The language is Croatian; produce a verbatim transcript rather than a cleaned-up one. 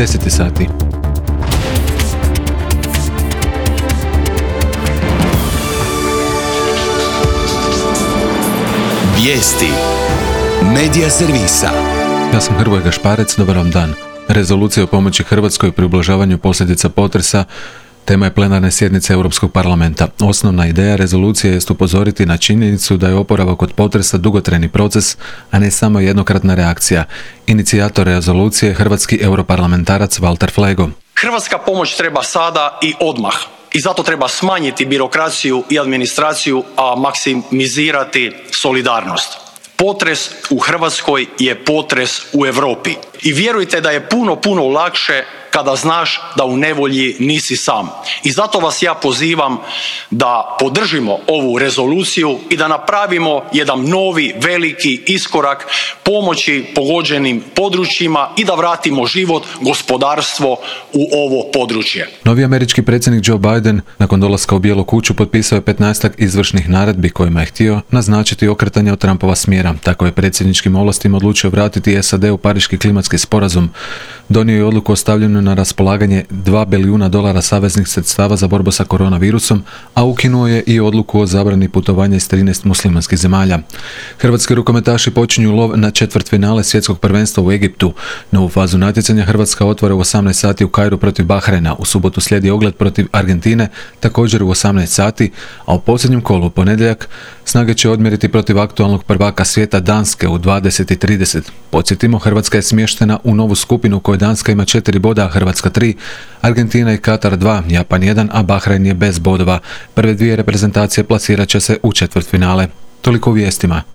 deset je sati. Vijesti Medija servisa. Ja sam Hrvoje Gašparec, dobar vam dan. Rezolucija o pomoći Hrvatskoj pri ublažavanju posljedica potresa tema je plenarne sjednice Europskog parlamenta. Osnovna ideja rezolucije jest upozoriti na činjenicu da je oporavak od potresa dugotrajni proces, a ne samo jednokratna reakcija. Inicijator rezolucije je hrvatski europarlamentarac Valter Flego. Hrvatska pomoć treba sada i odmah. I zato treba smanjiti birokraciju i administraciju, a maksimizirati solidarnost. Potres u Hrvatskoj je potres u Europi. I vjerujte da je puno, puno lakše kada znaš da u nevolji nisi sam. I zato vas ja pozivam da podržimo ovu rezoluciju i da napravimo jedan novi, veliki iskorak pomoći pogođenim područjima i da vratimo život, gospodarstvo u ovo područje. Novi američki predsjednik Joe Biden nakon dolaska u Bijelu kuću potpisao je petnaestak izvršnih naredbi kojima je htio naznačiti okretanje od Trumpova smjera. Tako je predsjedničkim ovlastima odlučio vratiti S A D u Pariški klimatski sporazum. Donio je odluku o stavljanju na raspolaganje dva bilijuna dolara saveznih sredstava za borbu sa koronavirusom, a ukinuo je i odluku o zabrani putovanja iz trinaest muslimanskih zemalja. Hrvatski rukometaši počinju lov na četvrtfinale svjetskog prvenstva u Egiptu. Novu fazu natjecanja Hrvatska otvara u osamnaest sati u Kairu protiv Bahrajna. U subotu slijedi ogled protiv Argentine, također u osamnaest sati, a u posljednjem kolu u ponedjeljak snage će odmjeriti protiv aktualnog prvaka svijeta Danske u dvadeset i trideset. Podsjetimo, Hrvatska je smještena u novu skupinu u kojoj Danska ima četiri boda, a Hrvatska tri, Argentina i Katar dva, Japan jedan, a Bahrajn je bez bodova. Prve dvije reprezentacije plasirat će se u četvrtfinale. Toliko u vijestima.